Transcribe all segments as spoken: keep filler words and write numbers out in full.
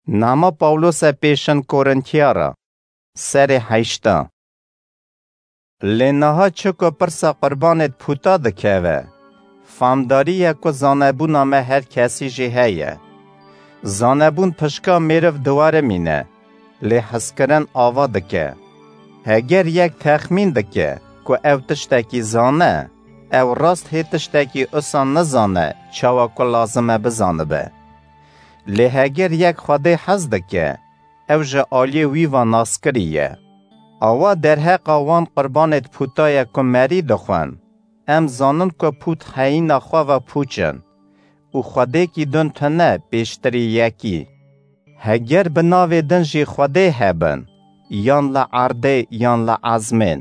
Nama Pawlose pêşin Korintiyara, serê heşta. Lê niha çi ku pirsa qurbanêd pûta dikeve, famdarî ye ku zanebûna me her kesî jî heye. Zanebûn pişka mêriv diwerimîne, lê hezkirin ava dike. Heger yek texmîn dike ku ew tiştekî zane, ew rast hê tiştekî usa nizane çawa ku lazim e bizanibe. Lê heger yek Xwedê hez dike, ew ji aliyê wî ve naskirî ye. Awa derheqa wan qurbanêd pûta ye ku merî dixwin, em zanin ku pût heyîna xwe ve pûç in û Xwedêkî din tune pêştirî yekî. Heger bi navê din jî Xwedê hebin, yan li erdê yan li ezmên,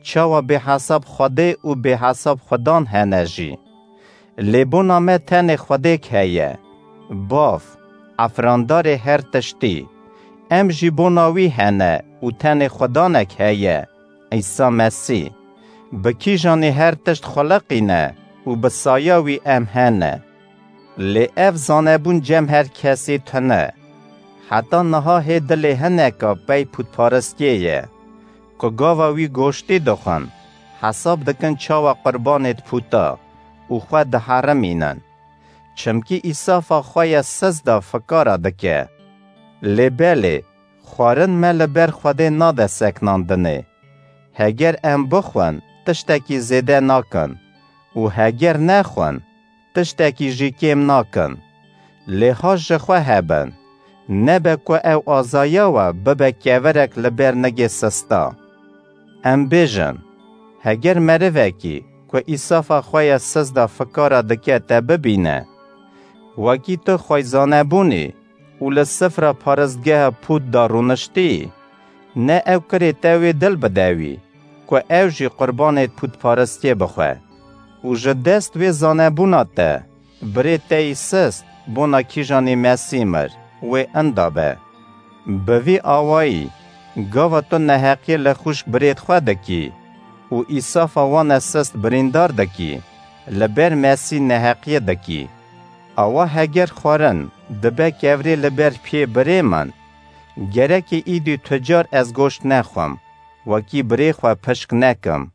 çawa bêhesab Xwedê û bêhesab Xudan hene jî. Lê bona me tenê Xwedêk heye, Bav, efrandarê her tiştî. Em jî bona wî hene û tenê Xudanek heye, Îsa Mesîh. Bi kîjanî her tişt xuliqîne û bi saya wî em hene. Lê ev zanebûn cem her kesî tune. Heta niha hê dilê hineka pey pûtparistiyê ye, ku gava wî goştî dixwin, hesab dikin çawa qurbanêd pûta û xwe diherimînin. Çimkî îsafa xwe ya siz de fikara dike. Lê belê, xwarin me li ber Xwedê nade seknandinê. Heger em bixwin, tiştekî zêde nakin û heger nexwin, tiştekî jî kêm nakin. Lê ha ji xwe hebin, nebe ku ew azaya we bibe kevirek li ber nigê sista. Em bêjin, heger merivekî ku îsafa xwe ya siz de fikara dike te bibîne, wekî tu xweyzanebûnî û li sifra paristgeha pût de rûniştî, ne ew kirê te wê dil bide wî, ku ew jî qurbanê pûtparistiyê bixwe. Û ji dest wê zanebûna te, birê te yî sist, bona kîjanî Mesî mir, wê inda be. Bi vî awayî, gava tu neheqiyê li xwişk birêd xwe dikî û îsafa wan e sist birîndar dikî, li ber Mesî neheqiyê dikî. Awa heger xwarin dibe kevirê li ber piyê birê min, gerekê îdî tu car ez goşt nexwim, wekî birê xwe pişk nekim.